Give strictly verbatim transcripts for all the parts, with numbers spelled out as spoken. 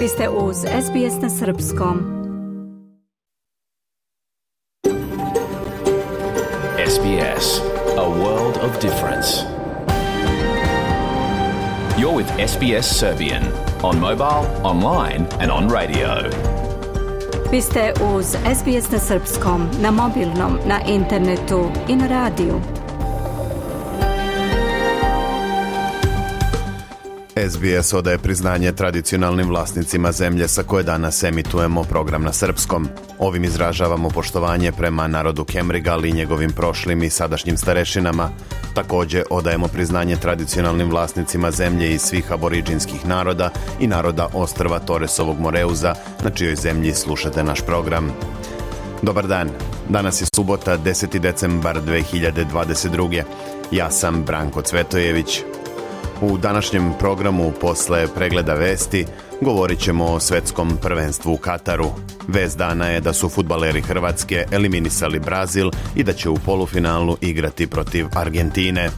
Vi ste uz S B S na srpskom. S B S, a world of difference. You're with S B S Serbian on mobile, online and on radio. Vi ste uz S B S na srpskom, na mobilnom, na internetu i na radiju. S B S odaje priznanje tradicionalnim vlasnicima zemlje sa koje danas emitujemo program na srpskom. Ovim izražavamo poštovanje prema narodu Kemrigal i njegovim prošlim i sadašnjim starešinama. Također odajemo priznanje tradicionalnim vlasnicima zemlje iz svih aboriđinskih naroda i naroda ostrva Toresovog Moreuza, na čijoj zemlji slušate naš program. Dobar dan, danas je subota, deseti decembar dve hiljade dvadeset druge. Ja sam Branko Cvetojević. U današnjem programu posle pregleda vesti govorit ćemo o svetskom prvenstvu u Kataru. Vest dana je da su fudbaleri Hrvatske eliminisali Brazil i da će u polufinalu igrati protiv Argentine.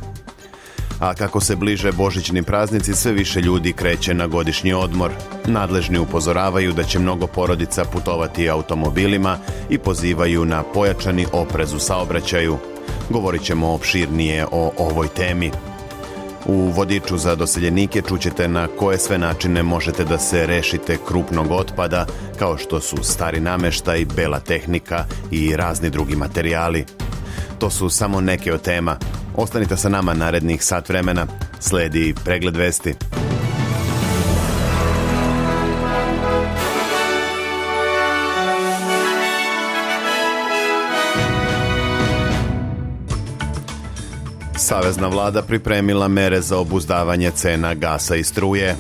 A kako se bliže božićni praznici, sve više ljudi kreće na godišnji odmor. Nadležni upozoravaju da će mnogo porodica putovati automobilima i pozivaju na pojačani oprez u saobraćaju. Govorit ćemo opširnije o ovoj temi. U vodiču za doseljenike čućete na koje sve načine možete da se rešite krupnog otpada, kao što su stari nameštaj, bela tehnika i razni drugi materijali. To su samo neke od tema. Ostanite sa nama narednih sat vremena. Sledi pregled vesti. Savezna vlada pripremila mere za obuzdavanje cena gasa i struje.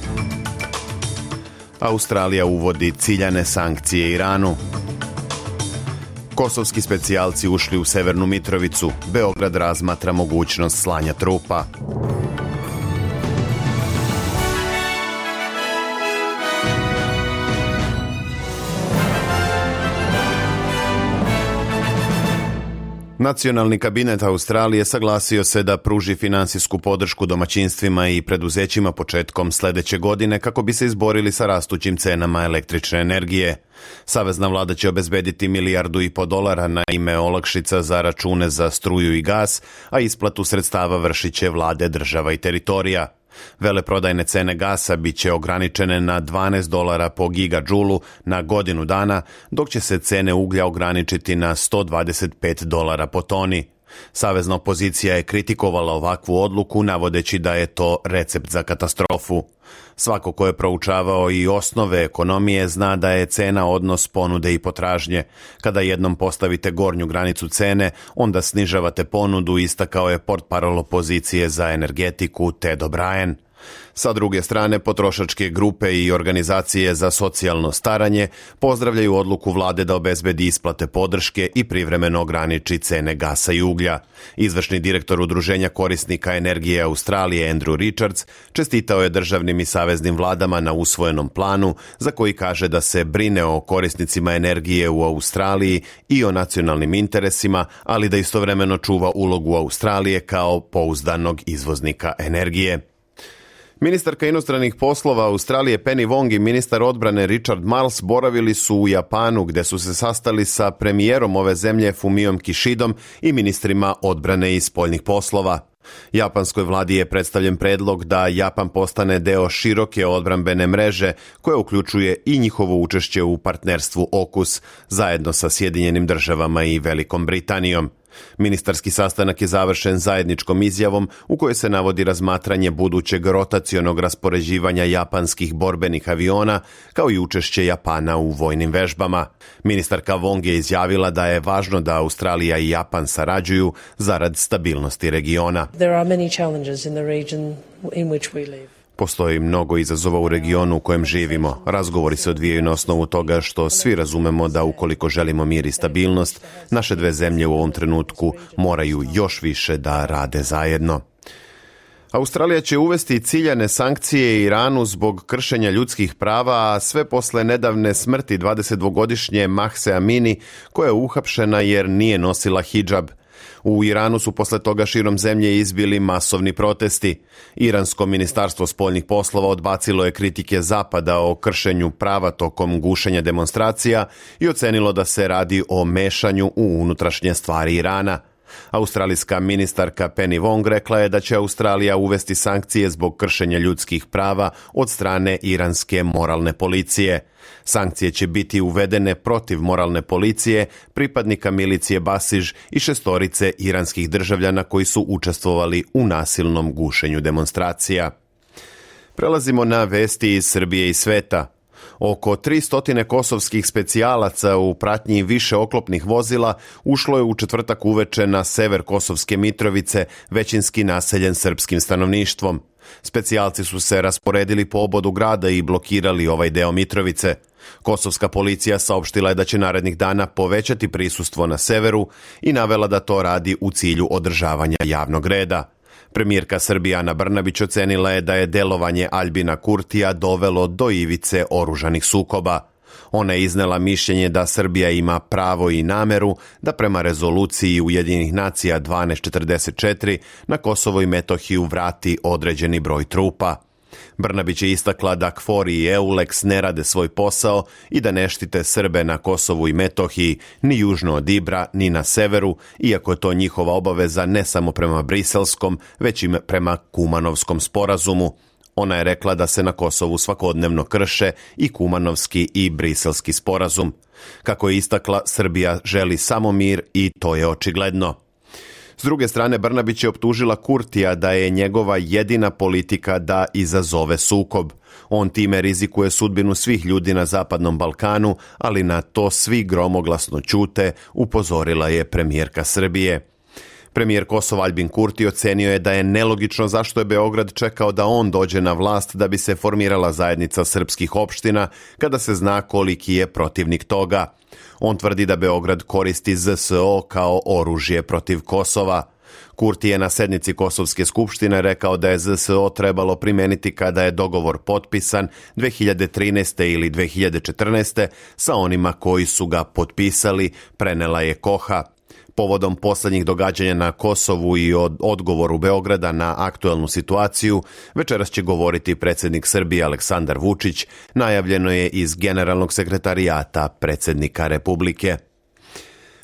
Australija uvodi ciljane sankcije Iranu. Kosovski specijalci ušli u Severnu Mitrovicu. Beograd razmatra mogućnost slanja trupa. Nacionalni kabinet Australije saglasio se da pruži finansijsku podršku domaćinstvima i preduzećima početkom sljedeće godine kako bi se izborili sa rastućim cenama električne energije. Savezna vlada će obezbediti milijardu i po dolara na ime olakšica za račune za struju i gas, a isplatu sredstava vršit će vlade država i teritorija. Veleprodajne cene gasa bit će ograničene na dvanaest dolara po gigadžulu na godinu dana, dok će se cene uglja ograničiti na sto dvadeset pet dolara po toni. Savezna opozicija je kritikovala ovakvu odluku, navodeći da je to recept za katastrofu. Svako ko je proučavao i osnove ekonomije zna da je cena odnos ponude i potražnje. Kada jednom postavite gornju granicu cene, onda snižavate ponudu, istakao je portparol opozicije za energetiku Ted O'Brien. Sa druge strane, potrošačke grupe i organizacije za socijalno staranje pozdravljaju odluku vlade da obezbedi isplate podrške i privremeno ograniči cene gasa i uglja. Izvršni direktor Udruženja korisnika energije Australije Andrew Richards čestitao je državnim i saveznim vladama na usvojenom planu, za koji kaže da se brine o korisnicima energije u Australiji i o nacionalnim interesima, ali da istovremeno čuva ulogu Australije kao pouzdanog izvoznika energije. Ministarka inostranih poslova Australije Penny Wong i ministar odbrane Richard Marles boravili su u Japanu, gde su se sastali sa premijerom ove zemlje Fumiom Kishidom i ministrima odbrane i spoljnih poslova. Japanskoj vladi je predstavljen predlog da Japan postane deo široke odbrambene mreže koja uključuje i njihovo učešće u partnerstvu AUKUS zajedno sa Sjedinjenim državama i Velikom Britanijom. Ministarski sastanak je završen zajedničkom izjavom u kojoj se navodi razmatranje budućeg rotacionog raspoređivanja japanskih borbenih aviona kao i učešće Japana u vojnim vežbama. Ministarka Wong je izjavila da je važno da Australija i Japan sarađuju zarad stabilnosti regiona. There are many challenges in the region in which we live. Postoji mnogo izazova u regionu u kojem živimo. Razgovori se odvijaju na osnovu toga što svi razumemo da ukoliko želimo mir i stabilnost, naše dve zemlje u ovom trenutku moraju još više da rade zajedno. Australija će uvesti ciljane sankcije Iranu zbog kršenja ljudskih prava, a sve posle nedavne smrti dvadesetdvogodišnje Mahse Amini, koja je uhapšena jer nije nosila hidžab. U Iranu su posle toga širom zemlje izbili masovni protesti. Iransko ministarstvo spoljnih poslova odbacilo je kritike Zapada o kršenju prava tokom gušenja demonstracija i ocenilo da se radi o mešanju u unutrašnje stvari Irana. Australijska ministarka Penny Wong rekla je da će Australija uvesti sankcije zbog kršenja ljudskih prava od strane iranske moralne policije. Sankcije će biti uvedene protiv moralne policije, pripadnika milicije Basiž i šestorice iranskih državljana koji su učestvovali u nasilnom gušenju demonstracija. Prelazimo na vesti iz Srbije i sveta. Oko tristo kosovskih specijalaca u pratnji više oklopnih vozila ušlo je u četvrtak uveče na sever Kosovske Mitrovice, većinski naseljen srpskim stanovništvom. Specijalci su se rasporedili po obodu grada i blokirali ovaj deo Mitrovice. Kosovska policija saopštila je da će narednih dana povećati prisustvo na severu i navela da to radi u cilju održavanja javnog reda. Premijerka Srbije Ana Brnabić ocenila je da je delovanje Aljbina Kurtija dovelo do ivice oružanih sukoba. Ona je iznela mišljenje da Srbija ima pravo i nameru da prema rezoluciji Ujedinjenih nacija dvanaest četrdeset četiri na Kosovo i Metohiju vrati određeni broj trupa. Brnabić je istakla da KFOR i EULEX ne rade svoj posao i da ne štite Srbe na Kosovu i Metohiji, ni južno od Ibra, ni na severu, iako je to njihova obaveza ne samo prema Briselskom, već i prema Kumanovskom sporazumu. Ona je rekla da se na Kosovu svakodnevno krše i Kumanovski i Briselski sporazum. Kako je istakla, Srbija želi samo mir i to je očigledno. S druge strane, Brnabić je optužila Kurtija da je njegova jedina politika da izazove sukob. On time rizikuje sudbinu svih ljudi na Zapadnom Balkanu, ali na to svi gromoglasno ćute, upozorila je premijerka Srbije. Premijer Kosova Aljbin Kurti ocenio je da je nelogično zašto je Beograd čekao da on dođe na vlast da bi se formirala zajednica srpskih opština, kada se zna koliki je protivnik toga. On tvrdi da Beograd koristi Z S O kao oružje protiv Kosova. Kurti je na sednici Kosovske skupštine rekao da je Z S O trebalo primeniti kada je dogovor potpisan dve hiljade trinaeste. ili dve hiljade četrnaeste. sa onima koji su ga potpisali, prenela je Koha. Povodom poslednjih događanja na Kosovu i od odgovoru Beograda na aktuelnu situaciju, večeras će govoriti predsjednik Srbije Aleksandar Vučić, najavljeno je iz Generalnog sekretarijata predsjednika Republike.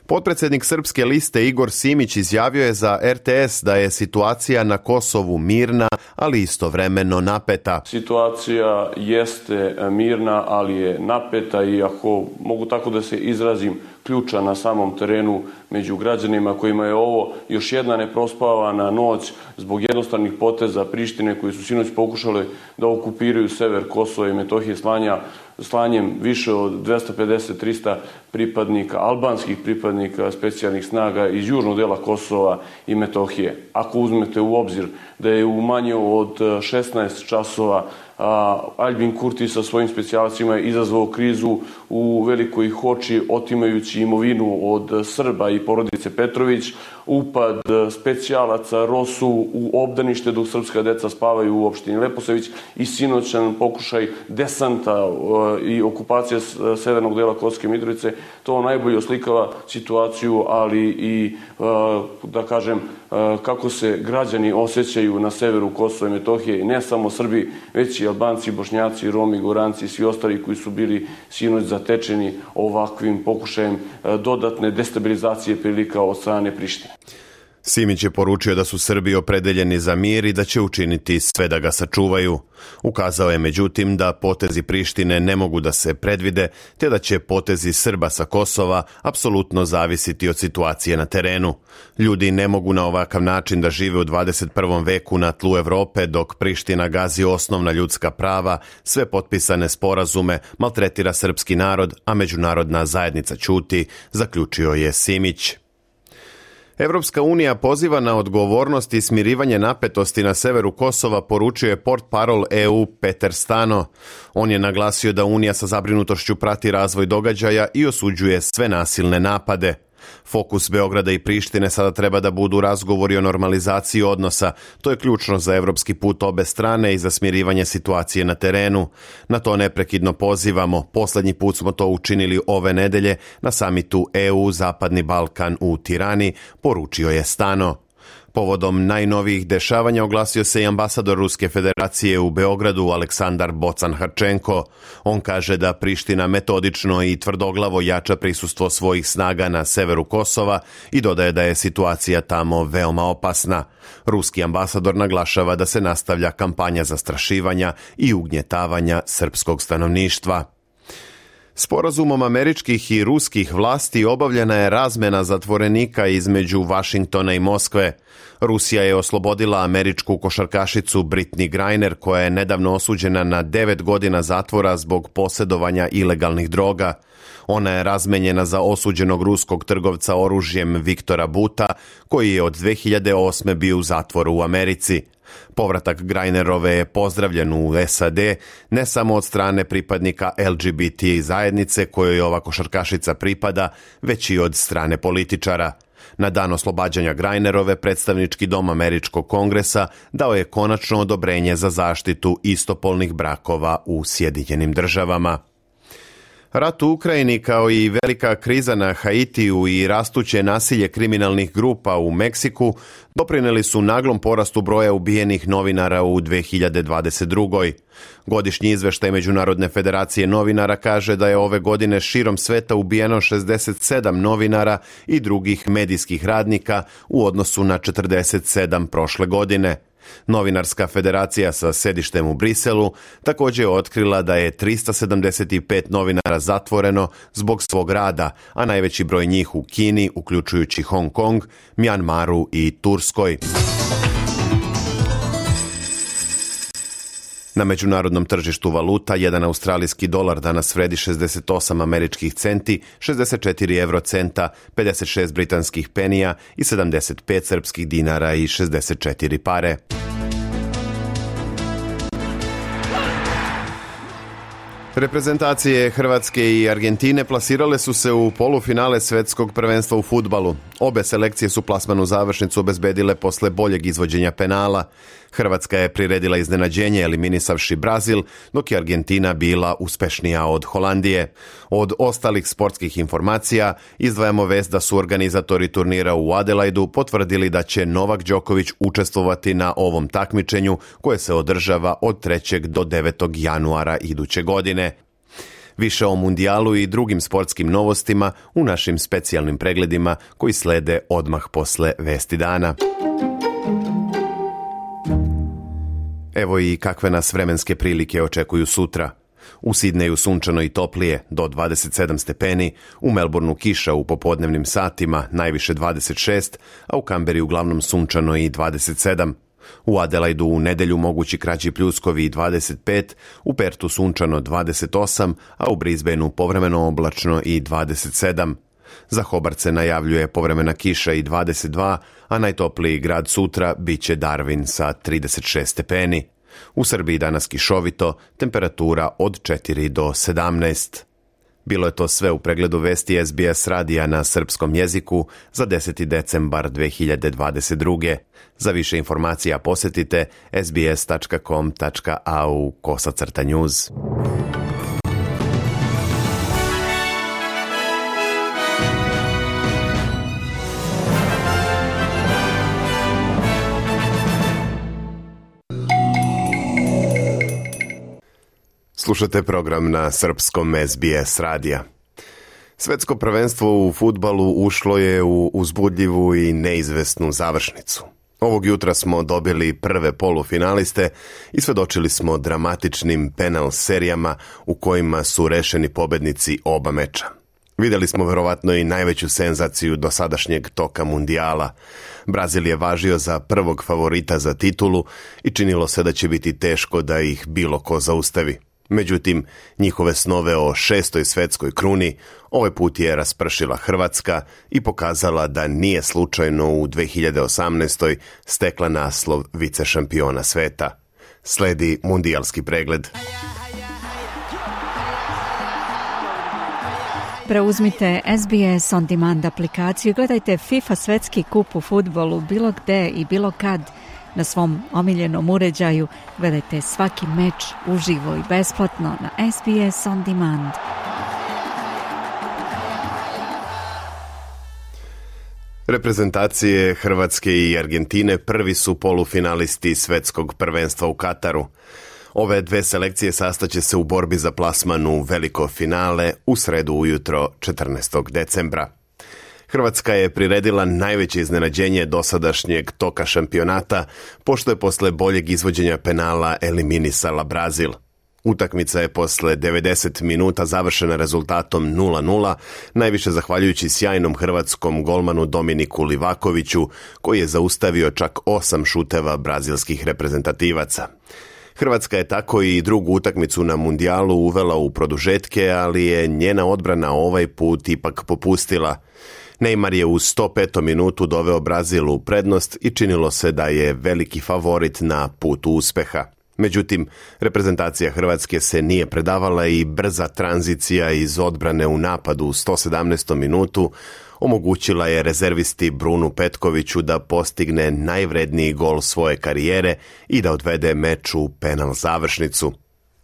Potpredsjednik Srpske liste Igor Simić izjavio je za R T S da je situacija na Kosovu mirna, ali istovremeno napeta. Situacija jeste mirna, ali je napeta i ako mogu tako da se izrazim, ključa na samom terenu među građanima kojima je ovo još jedna neprospavana noć zbog jednostavnih poteza Prištine koji su sinoć pokušale da okupiraju sever Kosova i Metohije slanja, slanjem više od dvesta pedeset do trista pripadnika, albanskih pripadnika specijalnih snaga iz južnog dela Kosova i Metohije. Ako uzmete u obzir da je u manje od šesnaest časova Aljbin Kurti sa svojim specijalcima izazvao krizu u Velikoj Hoči, otimajući imovinu od Srba i porodice Petrović, upad specijalaca Rosu u obdanište dok srpska deca spavaju u opštini Leposavić i sinoćan pokušaj desanta i okupacija severnog dela Kosovske Mitrovice, to najbolje oslikava situaciju, ali i, da kažem, kako se građani osjećaju na severu Kosova i Metohije, i ne samo Srbi, već i Albanci, Bošnjaci, Romi, Goranci i svi ostali koji su bili sinoć zatečeni ovakvim pokušajem dodatne destabilizacije prilika od strane Prištine. Simić je poručio da su Srbi opredeljeni za mir i da će učiniti sve da ga sačuvaju. Ukazao je međutim da potezi Prištine ne mogu da se predvide, te da će potezi Srba sa Kosova apsolutno zavisiti od situacije na terenu. Ljudi ne mogu na ovakav način da žive u dvadeset prvom veku na tlu Evrope dok Priština gazi osnovna ljudska prava, sve potpisane sporazume, maltretira srpski narod, a međunarodna zajednica ćuti, zaključio je Simić. Evropska unija poziva na odgovornost i smirivanje napetosti na severu Kosova, poručio je portparol E U Peter Stano. On je naglasio da Unija sa zabrinutošću prati razvoj događaja i osuđuje sve nasilne napade. Fokus Beograda i Prištine sada treba da budu razgovori o normalizaciji odnosa. To je ključno za evropski put obe strane i za smirivanje situacije na terenu. Na to neprekidno pozivamo. Poslednji put smo to učinili ove nedelje na samitu E U Zapadni Balkan u Tirani, poručio je Stano. Povodom najnovijih dešavanja oglasio se i ambasador Ruske federacije u Beogradu Aleksandar Bocan-Harčenko. On kaže da Priština metodično i tvrdoglavo jača prisustvo svojih snaga na severu Kosova i dodaje da je situacija tamo veoma opasna. Ruski ambasador naglašava da se nastavlja kampanja zastrašivanja i ugnjetavanja srpskog stanovništva. Sporazumom američkih i ruskih vlasti obavljena je razmena zatvorenika između Vašingtona i Moskve. Rusija je oslobodila američku košarkašicu Brittney Griner, koja je nedavno osuđena na devet godina zatvora zbog posjedovanja ilegalnih droga. Ona je razmenjena za osuđenog ruskog trgovca oružjem Viktora Buta, koji je od dve hiljade osme bio u zatvoru u Americi. Povratak Grajnerove je pozdravljen u S A D ne samo od strane pripadnika L G B T zajednice kojoj ova košarkašica pripada, već i od strane političara. Na dan oslobađanja Grajnerove predstavnički dom Američkog kongresa dao je konačno odobrenje za zaštitu istopolnih brakova u Sjedinjenim državama. Rat u Ukrajini kao i velika kriza na Haitiju i rastuće nasilje kriminalnih grupa u Meksiku doprineli su naglom porastu broja ubijenih novinara u dve hiljade dvadeset drugoj. Godišnji izveštaj Međunarodne federacije novinara kaže da je ove godine širom sveta ubijeno šezdeset sedam novinara i drugih medijskih radnika u odnosu na četrdeset sedam prošle godine. Novinarska federacija sa sedištem u Briselu također je otkrila da je trista sedamdeset pet novinara zatvoreno zbog svog rada, a najveći broj njih u Kini, uključujući Hong Kong, Mjanmaru i Turskoj. Na međunarodnom tržištu valuta jedan australijski dolar danas vredi šezdeset osam američkih centi, šezdeset četiri evrocenta, pedeset šest britanskih penija i sedamdeset pet srpskih dinara i šezdeset četiri pare. Reprezentacije Hrvatske i Argentine plasirale su se u polufinale svetskog prvenstva u fudbalu. Obe selekcije su plasmanu završnicu obezbedile posle boljeg izvođenja penala. Hrvatska je priredila iznenađenje eliminisavši Brazil, dok je Argentina bila uspešnija od Holandije. Od ostalih sportskih informacija izdvajamo vest da su organizatori turnira u Adelaidu potvrdili da će Novak Đoković učestvovati na ovom takmičenju koje se održava od trećeg do devetog januara iduće godine. Više o mundijalu i drugim sportskim novostima u našim specijalnim pregledima koji slede odmah posle vesti dana. Evo i kakve nas vremenske prilike očekuju sutra. U Sidneju sunčano i toplije, do dvadeset sedam stepeni, u Melbourneu kiša u popodnevnim satima, najviše dvadeset šest, a u Kamberi uglavnom sunčano i dvadeset sedam. U Adelaidu u nedelju mogući kraći pljuskovi i dvadeset pet, u Pertu sunčano dvadeset osam, a u Brisbaneu povremeno oblačno i dvadeset sedam. Za Hobart se najavljuje povremena kiša i dvadeset dva, a najtopliji grad sutra bit će Darwin sa trideset šest stepeni. U Srbiji danas kišovito, temperatura od četiri do sedamnaest. Bilo je to sve u pregledu vesti S B S radija na srpskom jeziku za deseti decembar dve hiljade dvadeset druge. Za više informacija posjetite sbs tačka com tačka a u kosacrta news. Slušate program na srpskom S B S radija. Svetsko prvenstvo u fudbalu ušlo je u uzbudljivu i neizvesnu završnicu. Ovog jutra smo dobili prve polufinaliste i svedočili smo dramatičnim penal serijama u kojima su rešeni pobednici oba meča. Vidjeli smo verovatno i najveću senzaciju dosadašnjeg toka mundijala. Brazil je važio za prvog favorita za titulu i činilo se da će biti teško da ih bilo ko zaustavi. Međutim, njihove snove o šestoj svetskoj kruni ovaj put je raspršila Hrvatska i pokazala da nije slučajno u dve hiljade osamnaestoj stekla naslov vice šampiona sveta. Sledi mundijalski pregled. Preuzmite S B S On Demand aplikaciju i gledajte FIFA svetski kup u fudbalu bilo gde i bilo kad na svom omiljenom uređaju. Gledajte svaki meč uživo i besplatno na S B S On Demand. Reprezentacije Hrvatske i Argentine prvi su polufinalisti svetskog prvenstva u Kataru. Ove dve selekcije sastaće se u borbi za plasman u veliko finale u sredu ujutro četrnaestog decembra. Hrvatska je priredila najveće iznenađenje dosadašnjeg toka šampionata, pošto je posle boljeg izvođenja penala eliminisala Brazil. Utakmica je posle devedeset minuta završena rezultatom nula nula, najviše zahvaljujući sjajnom hrvatskom golmanu Dominiku Livakoviću, koji je zaustavio čak osam šuteva brazilskih reprezentativaca. Hrvatska je tako i drugu utakmicu na mundijalu uvela u produžetke, ali je njena odbrana ovaj put ipak popustila. Neymar je u sto petom minutu doveo Brazil u prednost i činilo se da je veliki favorit na putu uspeha. Međutim, reprezentacija Hrvatske se nije predavala i brza tranzicija iz odbrane u napadu u sto sedamnaestom minutu omogućila je rezervisti Brunu Petkoviću da postigne najvredniji gol svoje karijere i da odvede meč u penal završnicu.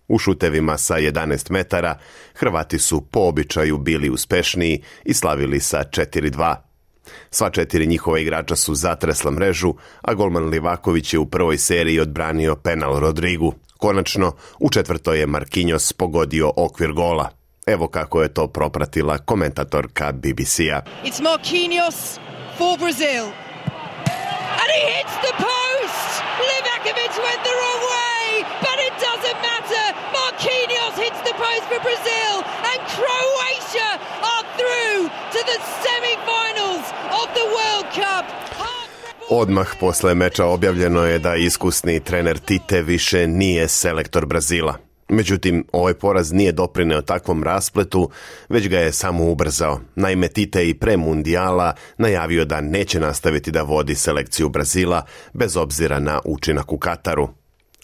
U šutevima sa jedanaest metara Hrvati su po običaju bili uspešniji i slavili sa četiri dva. Sva četiri njihova igrača su zatresla mrežu, a golman Livaković je u prvoj seriji odbranio penal Rodrigu. Konačno, u četvrtoj je Marquinhos pogodio okvir gola. Evo kako je to propratila komentatorka B B C-a. It's Marquinhos for Brazil. And he hits the post! Livakovic went the wrong way, but it doesn't matter. Marquinhos hits the post for Brazil, and Croatia are through to the semi-finals of the World Cup. Odmah posle meča objavljeno je da iskusni trener Tite više nije selektor Brazila. Međutim, ovaj poraz nije doprineo takvom raspletu, već ga je samo ubrzao. Naime, Tite i pre mundijala najavio da neće nastaviti da vodi selekciju Brazila, bez obzira na učinak u Kataru.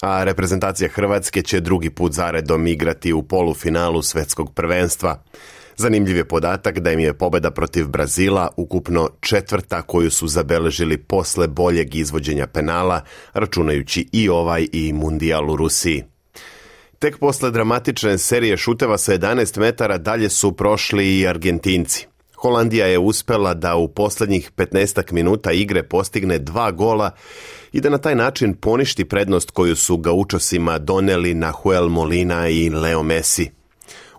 A reprezentacija Hrvatske će drugi put zaredom igrati u polufinalu svetskog prvenstva. Zanimljiv je podatak da im je pobjeda protiv Brazila ukupno četvrta koju su zabeležili posle boljeg izvođenja penala, računajući i ovaj i mundijal u Rusiji. Tek posle dramatične serije šuteva sa jedanaest metara dalje su prošli i Argentinci. Holandija je uspela da u posljednjih petnaestak minuta igre postigne dva gola i da na taj način poništi prednost koju su gaučosima doneli Nahuel Molina i Leo Messi.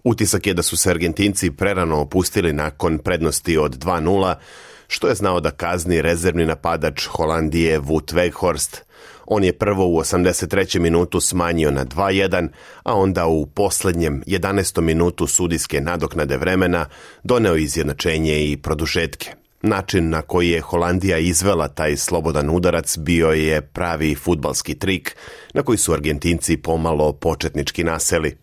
Utisak je da su se Argentinci prerano opustili nakon prednosti od dva nula, što je znao da kazni rezervni napadač Holandije Wout Weghorst. On je prvo u osamdeset trećem minutu smanjio na dva jedan, a onda u posljednjem jedanaestom minutu sudijske nadoknade vremena doneo izjednačenje i produžetke. Način na koji je Holandija izvela taj slobodan udarac bio je pravi fudbalski trik na koji su Argentinci pomalo početnički naseli.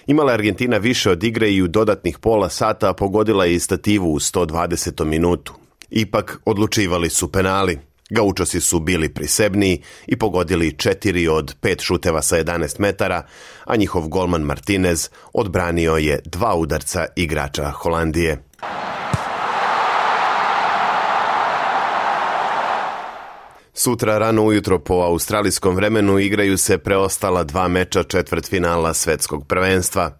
Imala je Argentina više od igre i u dodatnih pola sata pogodila je i stativu u sto dvadesetom minutu. Ipak odlučivali su penali. Gaučosi su bili prisebniji i pogodili četiri od pet šuteva sa jedanaest metara, a njihov golman Martinez odbranio je dva udarca igrača Holandije. Sutra rano ujutro po australijskom vremenu igraju se preostala dva meča četvrtfinala svetskog prvenstva.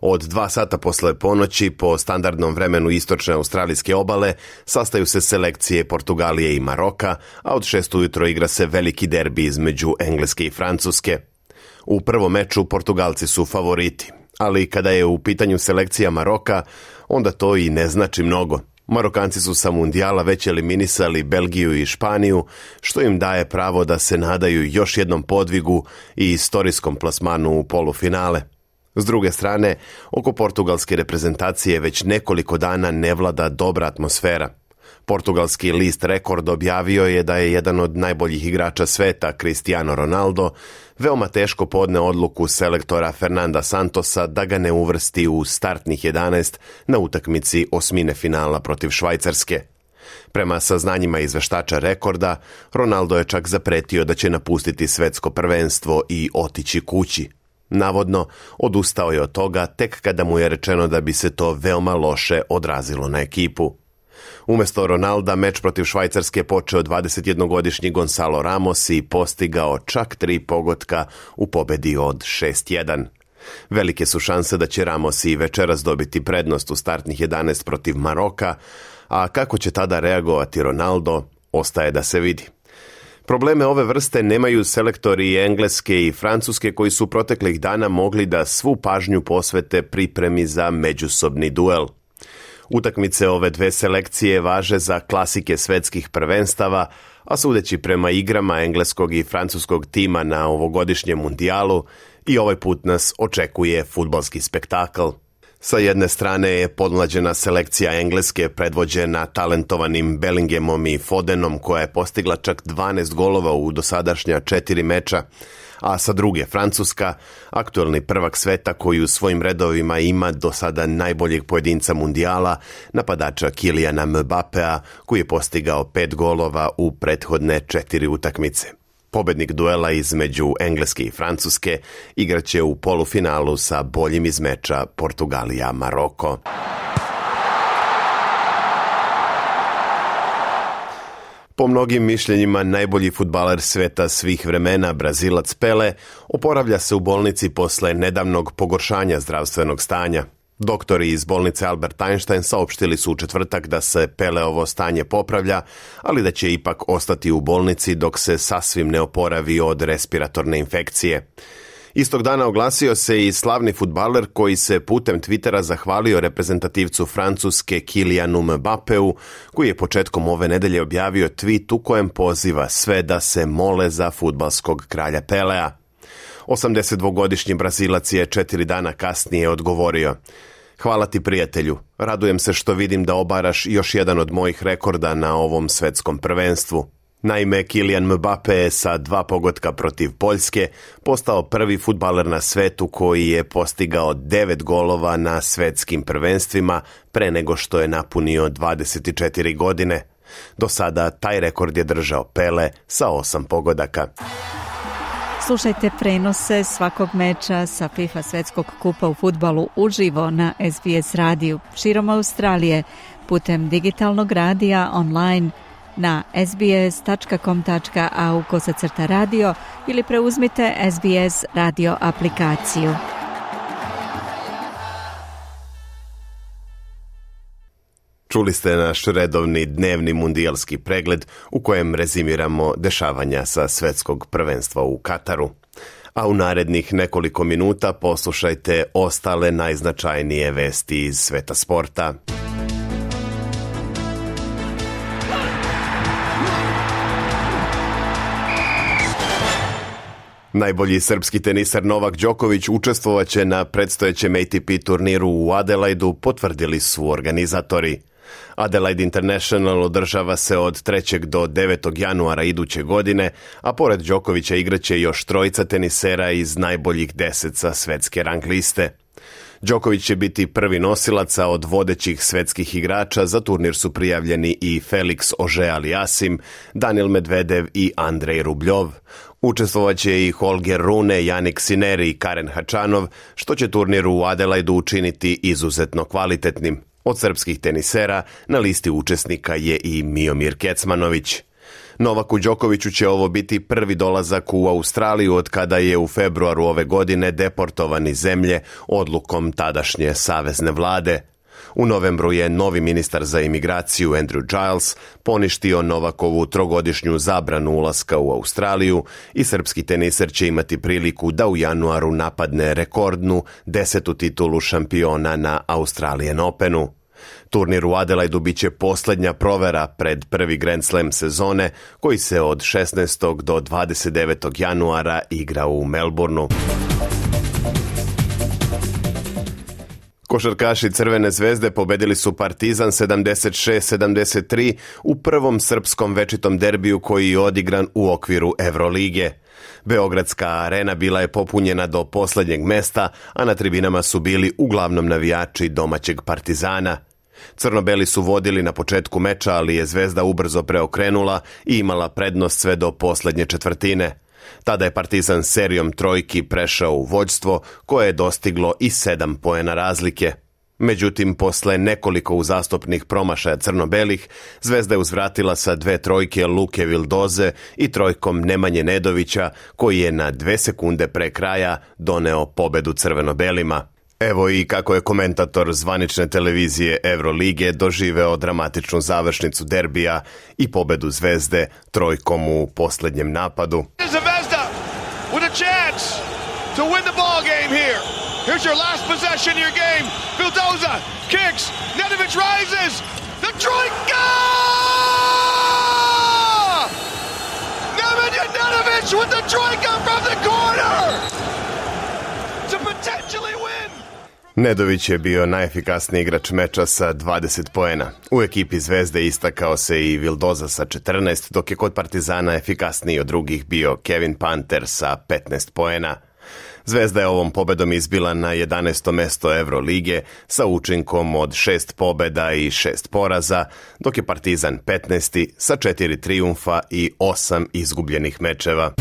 Od dva sata posle ponoći po standardnom vremenu istočne australijske obale sastaju se selekcije Portugalije i Maroka, a od šest ujutro igra se veliki derbi između Engleske i Francuske. U prvom meču Portugalci su favoriti, ali kada je u pitanju selekcija Maroka, onda to i ne znači mnogo. Marokanci su sa mundijala već eliminisali Belgiju i Španiju, što im daje pravo da se nadaju još jednom podvigu i istorijskom plasmanu u polufinale. S druge strane, oko portugalske reprezentacije već nekoliko dana ne vlada dobra atmosfera. Portugalski list Rekord objavio je da je jedan od najboljih igrača sveta, Cristiano Ronaldo, veoma teško podne odluku selektora Fernanda Santosa da ga ne uvrsti u startnih jedanaest na utakmici osmine finala protiv Švajcarske. Prema saznanjima izveštača Rekorda, Ronaldo je čak zapretio da će napustiti svetsko prvenstvo i otići kući. Navodno, odustao je od toga tek kada mu je rečeno da bi se to veoma loše odrazilo na ekipu. Umjesto Ronalda, meč protiv Švajcarske počeo dvadesetjednogodišnji Gonzalo Ramos i postigao čak tri pogotka u pobedi od šest jedan. Velike su šanse da će Ramos i večeras dobiti prednost u startnih jedanaest protiv Maroka, a kako će tada reagovati Ronaldo, ostaje da se vidi. Probleme ove vrste nemaju selektori Engleske i Francuske koji su proteklih dana mogli da svu pažnju posvete pripremi za međusobni duel. Utakmice ove dve selekcije važe za klasike svetskih prvenstava, a sudeći prema igrama engleskog i francuskog tima na ovogodišnjem mundijalu, i ovaj put nas očekuje fudbalski spektakl. Sa jedne strane je podmlađena selekcija Engleske predvođena talentovanim Bellinghamom i Fodenom koja je postigla čak dvanaest golova u dosadašnja četiri meča, a sa druge Francuska, aktuelni prvak sveta koji u svojim redovima ima do sada najboljeg pojedinca mundijala, napadača Kyliana Mbappea koji je postigao pet golova u prethodne četiri utakmice. Pobednik duela između Engleske i Francuske igraće u polufinalu sa boljim iz meča Portugalija-Maroko. Po mnogim mišljenjima najbolji fudbaler sveta svih vremena, Brazilac Pele, oporavlja se u bolnici posle nedavnog pogoršanja zdravstvenog stanja. Doktori iz bolnice Albert Einstein saopštili su u četvrtak da se Peleovo stanje popravlja, ali da će ipak ostati u bolnici dok se sasvim ne oporavi od respiratorne infekcije. Istog dana oglasio se i slavni fudbaler koji se putem Twittera zahvalio reprezentativcu Francuske Kylianu Mbappeu, koji je početkom ove nedelje objavio tweet u kojem poziva sve da se mole za fudbalskog kralja Pelea. osamdesetdvogodišnji Brazilac je četiri dana kasnije odgovorio: "Hvala ti, prijatelju, radujem se što vidim da obaraš još jedan od mojih rekorda na ovom svetskom prvenstvu." Naime, Kylian Mbappe je sa dva pogotka protiv Poljske postao prvi fudbaler na svetu koji je postigao devet golova na svetskim prvenstvima pre nego što je napunio dvadeset četiri godine. Do sada taj rekord je držao Pele sa osam pogodaka. Slušajte prenose svakog meča sa FIFA svetskog kupa u fudbalu uživo na S B S radiju širom Australije putem digitalnog radija online na sbs tačka com tačka a u kosacrta radio ili preuzmite S B S radio aplikaciju. Čuli ste naš redovni dnevni mundijalski pregled u kojem rezimiramo dešavanja sa svetskog prvenstva u Kataru. A u narednih nekoliko minuta poslušajte ostale najznačajnije vesti iz sveta sporta. Najbolji srpski tenisar Novak Đoković učestvovaće na predstojećem A T P turniru u Adelaidu, potvrdili su organizatori. Adelaide International održava se od trećeg do devetog januara iduće godine, a pored Đokovića igraće još trojica tenisera iz najboljih deset sa svetske rang liste. Đoković će biti prvi nosilac, a od vodećih svetskih igrača za turnir su prijavljeni i Felix Auger-Aliassime, Daniil Medvedev i Andrej Rubljov. Učestvovaće i Holger Rune, Jannik Sinner i Karen Hačanov, što će turnir u Adelaidu učiniti izuzetno kvalitetnim. Od srpskih tenisera na listi učesnika je i Miomir Kecmanović. Novaku Đokoviću će ovo biti prvi dolazak u Australiju od kada je u februaru ove godine deportovan iz zemlje odlukom tadašnje savezne vlade. U novembru je novi ministar za imigraciju Andrew Giles poništio Novakovu trogodišnju zabranu ulaska u Australiju i srpski teniser će imati priliku da u januaru napadne rekordnu desetu titulu šampiona na Australian Openu. Turnir u Adelaidu bit će posljednja provera pred prvi Grand Slam sezone koji se od šesnaestog do dvadeset devetog januara igra u Melbourneu. Košarkaši Crvene zvezde pobedili su Partizan sedamdeset šest sedamdeset tri u prvom srpskom večitom derbiju koji je odigran u okviru Evrolige. Beogradska arena bila je popunjena do posljednjeg mesta, a na tribinama su bili uglavnom navijači domaćeg Partizana. Crno-beli su vodili na početku meča, ali je Zvezda ubrzo preokrenula i imala prednost sve do posljednje četvrtine. Tada je Partizan serijom trojki prešao u vođstvo koje je dostiglo i sedam poena razlike. Međutim, posle nekoliko uzastopnih promašaja crno-belih, Zvezda je uzvratila sa dve trojke Luke Vildoze i trojkom Nemanje Nedovića, koji je na dve sekunde pre kraja doneo pobedu crveno-belima. Evo i kako je komentator zvanične televizije Evrolige doživeo dramatičnu završnicu derbija i pobedu Zvezde trojkom u posljednjem napadu. Zvezda with a chance to win the ball game here. Here's your last possession of your game. Vildoza kicks. Nedović rises. The trojka! Nemanja Nedović with the trojka from the corner to potentially win. Nedović je bio najefikasniji igrač meča sa dvadeset poena. U ekipi Zvezde istakao se i Vildoza sa četrnaest, dok je kod Partizana efikasniji od drugih bio Kevin Panter sa petnaest poena. Zvezda je ovom pobedom izbila na jedanaesto mesto Evrolige sa učinkom od šest pobeda i šest poraza, dok je Partizan petnaesti sa četiri trijumfa i osam izgubljenih mečeva.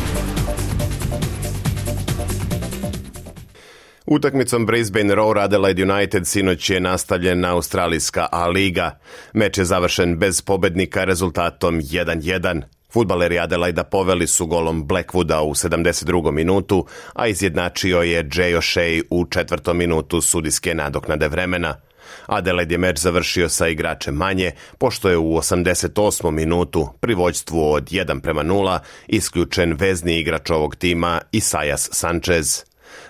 Utakmicom Brisbane Roar Adelaide United sinoć je nastavljena australijska A-liga. Meč je završen bez pobednika rezultatom jedan jedan. Fudbaleri Adelaida poveli su golom Blackwooda u sedamdeset drugom minutu, a izjednačio je Jay O'Shea u četvrtom minutu sudijske nadoknade vremena. Adelaide je meč završio sa igračem manje, pošto je u osamdeset osmom minutu pri vođstvu od jedan prema nula isključen vezni igrač ovog tima Isaias Sanchez.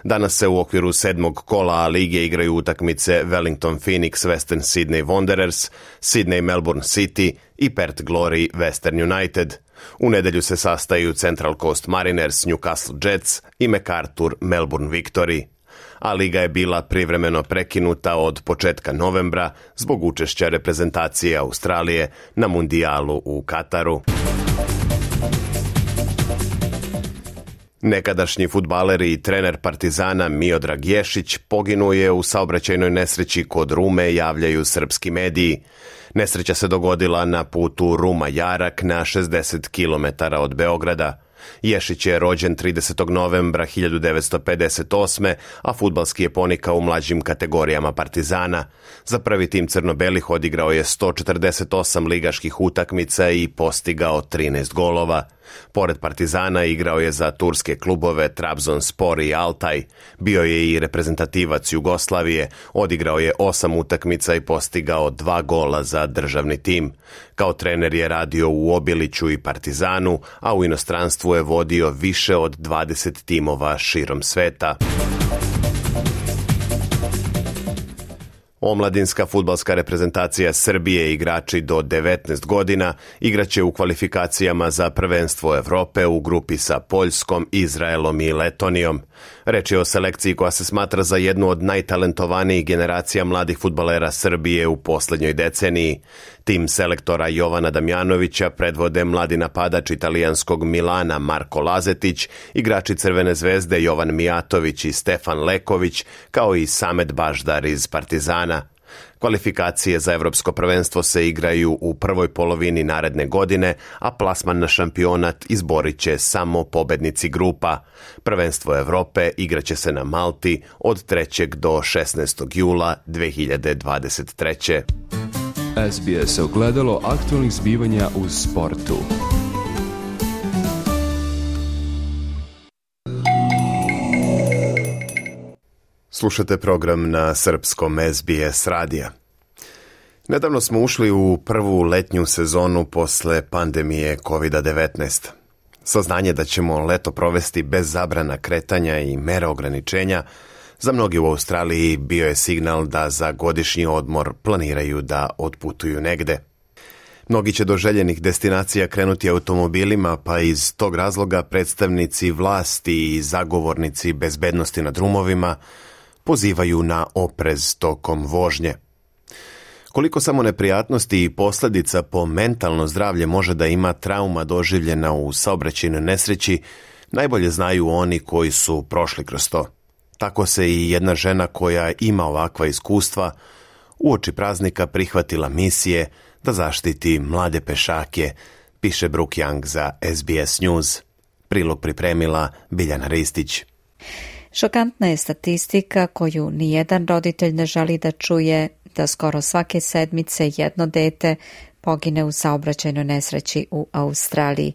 Danas se u okviru sedmog kola A-lige igraju utakmice Wellington Phoenix Western Sydney Wanderers, Sydney Melbourne City i Perth Glory Western United. U nedelju se sastaju Central Coast Mariners Newcastle Jets i MacArthur Melbourne Victory. A-liga je bila privremeno prekinuta od početka novembra zbog učešća reprezentacije Australije na mundijalu u Kataru. Nekadašnji fudbaler i trener Partizana Miodrag Ješić poginuo je u saobraćajnoj nesreći kod Rume, javljaju srpski mediji. Nesreća se dogodila na putu Ruma-Jarak na šezdeset kilometara od Beograda. Ješić je rođen tridesetog novembra hiljadu devetsto pedeset osme. a fudbalski je ponikao u mlađim kategorijama Partizana. Za prvi tim crno-belih odigrao je sto četrdeset osam ligaških utakmica i postigao trinaest golova. Pored Partizana igrao je za turske klubove Trabzonspor i Altaj. Bio je i reprezentativac Jugoslavije, odigrao je osam utakmica i postigao dva gola za državni tim. Kao trener je radio u Obiliću i Partizanu, a u inostranstvu je vodio više od dvadeset timova širom sveta. Omladinska fudbalska reprezentacija Srbije, igrači do devetnaest godina, igraće u kvalifikacijama za prvenstvo Evrope u grupi sa Poljskom, Izraelom i Letonijom. Reč je o selekciji koja se smatra za jednu od najtalentovanijih generacija mladih fudbalera Srbije u posljednjoj deceniji. Tim selektora Jovana Damjanovića predvode mladi napadač italijanskog Milana Marko Lazetić, igrači Crvene zvezde Jovan Mijatović i Stefan Leković, kao i Samet Baždar iz Partizana. Kvalifikacije za evropsko prvenstvo se igraju u prvoj polovini naredne godine, a plasman na šampionat izborit će samo pobednici grupa. Prvenstvo Evrope igraće se na Malti od trećeg do šesnaestog jula dve hiljade dvadeset treće. S B S ogledalo aktualnih zbivanja u sportu. Slušate program na srpskom S B S radija. Nedavno smo ušli u prvu letnju sezonu posle pandemije kovid devetnaest. Saznanje da ćemo leto provesti bez zabrana kretanja i mera ograničenja za mnogi u Australiji bio je signal da za godišnji odmor planiraju da otputuju negde. Mnogi će do željenih destinacija krenuti automobilima, pa iz tog razloga predstavnici vlasti i zagovornici bezbednosti na drumovima pozivaju na oprez tokom vožnje. Koliko samo neprijatnosti i posljedica po mentalno zdravlje može da ima trauma doživljena u saobraćajnoj nesreći, najbolje znaju oni koji su prošli kroz to. Tako se i jedna žena koja ima ovakva iskustva uoči praznika prihvatila misije da zaštiti mlade pešake, piše Brooke Young za S B S News. Prilog pripremila Biljana Ristić. Šokantna je statistika koju nijedan roditelj ne želi da čuje, da skoro svake sedmice jedno dete pogine u saobraćajnoj nesreći u Australiji.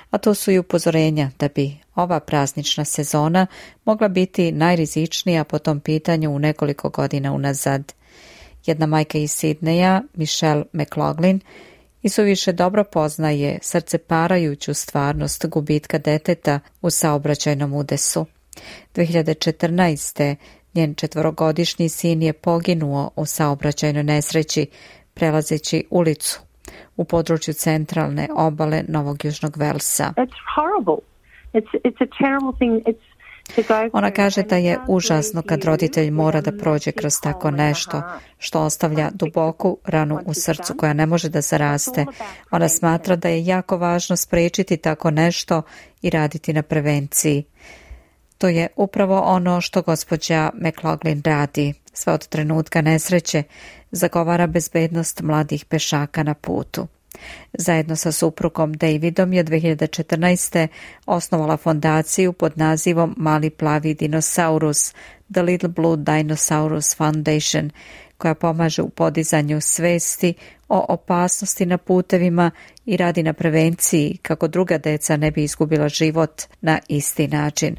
A to su i upozorenja da bi ova praznična sezona mogla biti najrizičnija po tom pitanju u nekoliko godina unazad. Jedna majka iz Sidneja, Michelle McLaughlin, i suviše dobro poznaje srceparajuću stvarnost gubitka deteta u saobraćajnom udesu. dve hiljade četrnaeste. njen četvorogodišnji sin je poginuo u saobraćajnoj nesreći prelazeći ulicu u području centralne obale Novog Južnog Velsa. Ona kaže da je užasno kad roditelj mora da prođe kroz tako nešto, što ostavlja duboku ranu u srcu koja ne može da zaraste. Ona smatra da je jako važno sprečiti tako nešto i raditi na prevenciji. To je upravo ono što gospođa McLaughlin radi. Sve od trenutka nesreće zagovara bezbednost mladih pešaka na putu. Zajedno sa suprugom Davidom je dve hiljade četrnaeste. osnovala fondaciju pod nazivom Mali plavi dinosaurus, The Little Blue Dinosaurus Foundation, koja pomaže u podizanju svesti o opasnosti na putevima i radi na prevenciji kako druga deca ne bi izgubila život na isti način.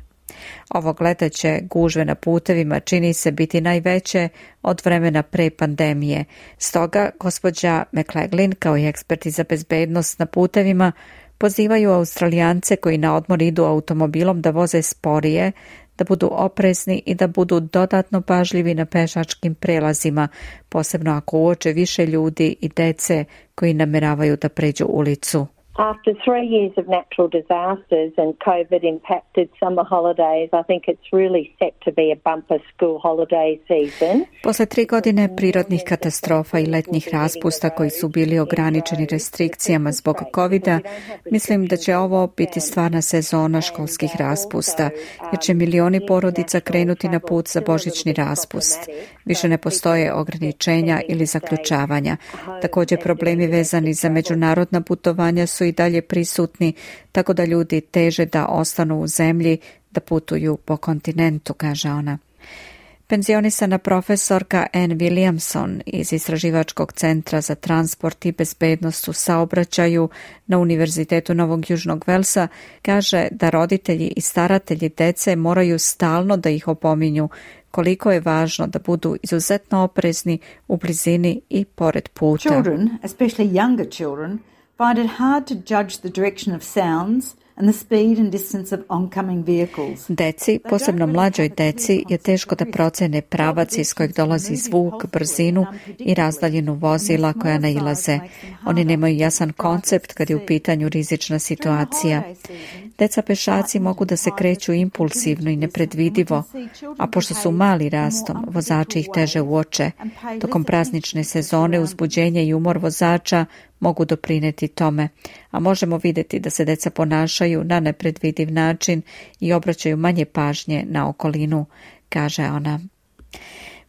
Ovog leta će gužve na putevima čini se biti najveće od vremena pre pandemije. Stoga gospođa McLaughlin kao i eksperti za bezbednost na putevima pozivaju Australijance koji na odmor idu automobilom da voze sporije, da budu oprezni i da budu dodatno pažljivi na pešačkim prelazima, posebno ako uoče više ljudi i dece koji nameravaju da pređu ulicu. After three years of natural disasters and COVID impacted summer holidays, I think it's really set to be a bumper school holiday season. Posle tri godine prirodnih katastrofa i letnjih raspusta koji su bili ograničeni restrikcijama zbog covida, mislim da će ovo biti stvarna sezona školskih raspusta, jer će milioni porodica krenuti na put za božićni raspust. Više ne postoje ograničenja ili zaključavanja. Također problemi vezani za međunarodna putovanja su i dalje prisutni, tako da ljudi teže da ostanu u zemlji, da putuju po kontinentu, kaže ona. Penzionisana profesorka Anne Williamson iz Istraživačkog centra za transport i bezbednost u saobraćaju na Univerzitetu Novog Južnog Velsa kaže da roditelji i staratelji dece moraju stalno da ih opominju koliko je važno da budu izuzetno oprezni u blizini i pored puta. Children, especially younger children, find it hard to judge the direction of sounds and the speed and distance of oncoming vehicles. Deci, posebno mlađoj deci, je teško da procene pravac iz kojeg dolazi zvuk, brzinu i razdaljinu vozila koja nailaze. Oni nemaju jasan koncept kad je u pitanju rizična situacija. Deca pešaci mogu da se kreću impulsivno i nepredvidivo, a pošto su mali rastom, vozači ih teže uoče. Tokom praznične sezone uzbuđenje i umor vozača mogu doprineti tome, a možemo vidjeti da se deca ponašaju na nepredvidiv način i obraćaju manje pažnje na okolinu, kaže ona.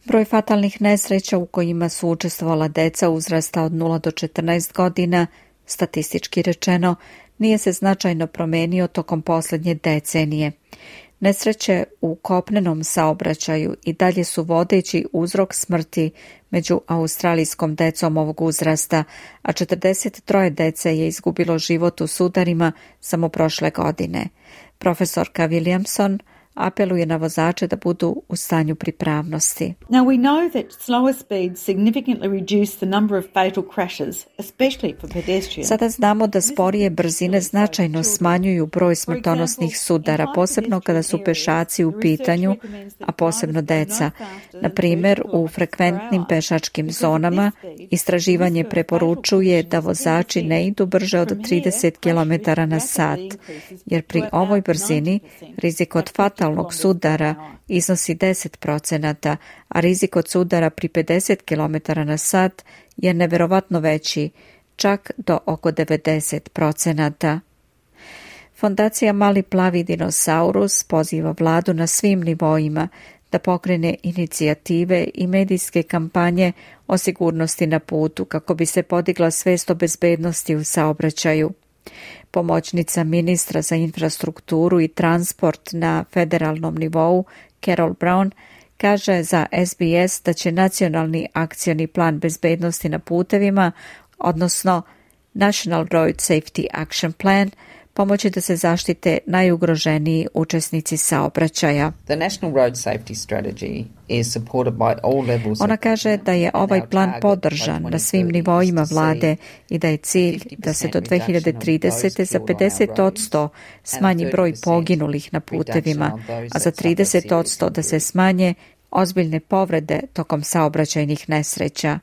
Broj fatalnih nesreća u kojima su učestvovala deca uzrasta od nula do četrnaest godina, statistički rečeno, nije se značajno promenio tokom posljednje decenije. Nesreće u kopnenom saobraćaju i dalje su vodeći uzrok smrti među australijskom decom ovog uzrasta, a četrdeset tri dece je izgubilo život u sudarima samo prošle godine. Profesorka Williamson apeluje na vozače da budu u stanju pripravnosti. Now we know that slower speeds significantly reduce the number of fatal crashes, especially for pedestrians. Sada znamo da sporije brzine značajno smanjuju broj smrtonosnih sudara, posebno kada su pešaci u pitanju, a posebno deca. Na primjer, u frekventnim pešačkim zonama istraživanje preporučuje da vozači ne idu brže od trideset kilometara na sat, jer pri ovoj brzini rizik od fatalnog sudara iznosi deset procenata, a rizik od sudara pri pedeset kilometara na sat je neverovatno veći, čak do oko devedeset procenata. Fondacija Mali plavi dinosaurus poziva vladu na svim nivoima da pokrene inicijative i medijske kampanje o sigurnosti na putu kako bi se podigla svest o bezbednosti u saobraćaju. Pomoćnica ministra za infrastrukturu i transport na federalnom nivou, Carol Brown, kaže za S B S da će nacionalni akcioni plan bezbednosti na putevima, odnosno National Road Safety Action Plan, pomoći da se zaštite najugroženiji učesnici saobraćaja. The National Road Safety Strategy is supported by all levels. Ona kaže da je ovaj plan podržan na svim nivoima vlade i da je cilj da se do dve hiljade tridesete za pedeset odsto smanji broj poginulih na putevima, a za trideset odsto da se smanje ozbiljne povrede tokom saobraćajnih nesreća.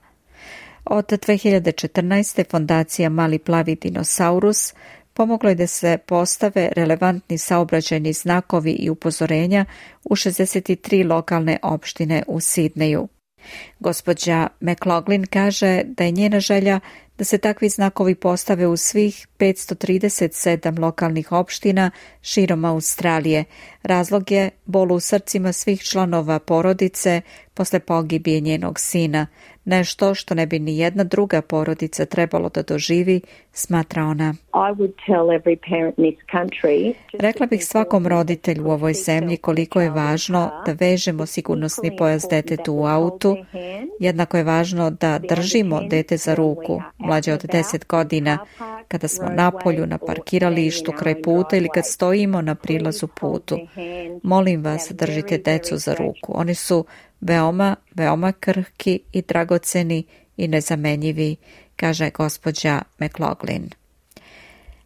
Od dve hiljade četrnaeste. fondacija Mali plavi dinosaurus pomoglo je da se postave relevantni saobraćajni znakovi i upozorenja u šezdeset tri lokalne opštine u Sidneju. Gospođa McLaughlin kaže da je njena želja da se takvi znakovi postave u svih petsto trideset sedam lokalnih opština širom Australije. Razlog je bol u srcima svih članova porodice posle pogibije njenog sina, nešto što ne bi ni jedna druga porodica trebalo da doživi, smatra ona. Rekla bih svakom roditelju u ovoj zemlji koliko je važno da vežemo sigurnosni pojas detetu u autu, jednako je važno da držimo dete za ruku, mlađe od deset godina, kada smo napolju, na parkiralištu, kraj puta ili kad stojimo na prilazu putu. Molim vas, držite decu za ruku. Oni su veoma, veoma krhki i dragoceni i nezamenjivi, kaže gospođa McLaughlin.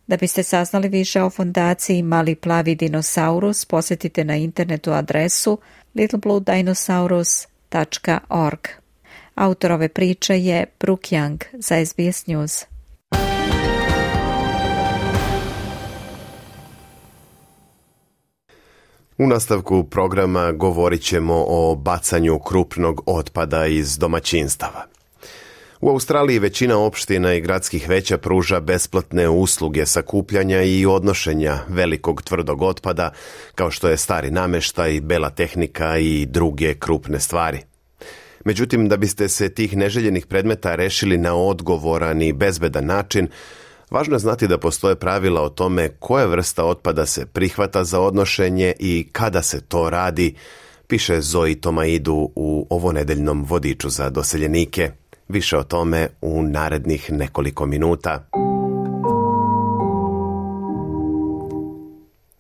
Da biste saznali više o fondaciji Mali plavi dinosaurus, posjetite na internetu adresu little blue dinosaurus dot org. Autor ove priče je Brooke Young za S B S News. U nastavku programa govorit ćemo o bacanju krupnog otpada iz domaćinstava. U Australiji većina opština i gradskih veća pruža besplatne usluge sakupljanja i odnošenja velikog tvrdog otpada, kao što je stari nameštaj, bela tehnika i druge krupne stvari. Međutim, da biste se tih neželjenih predmeta rešili na odgovoran i bezbedan način, važno je znati da postoje pravila o tome koja vrsta otpada se prihvata za odnošenje i kada se to radi, piše Zoe Tomaidu u ovonedeljnom vodiču za doseljenike. Više o tome u narednih nekoliko minuta.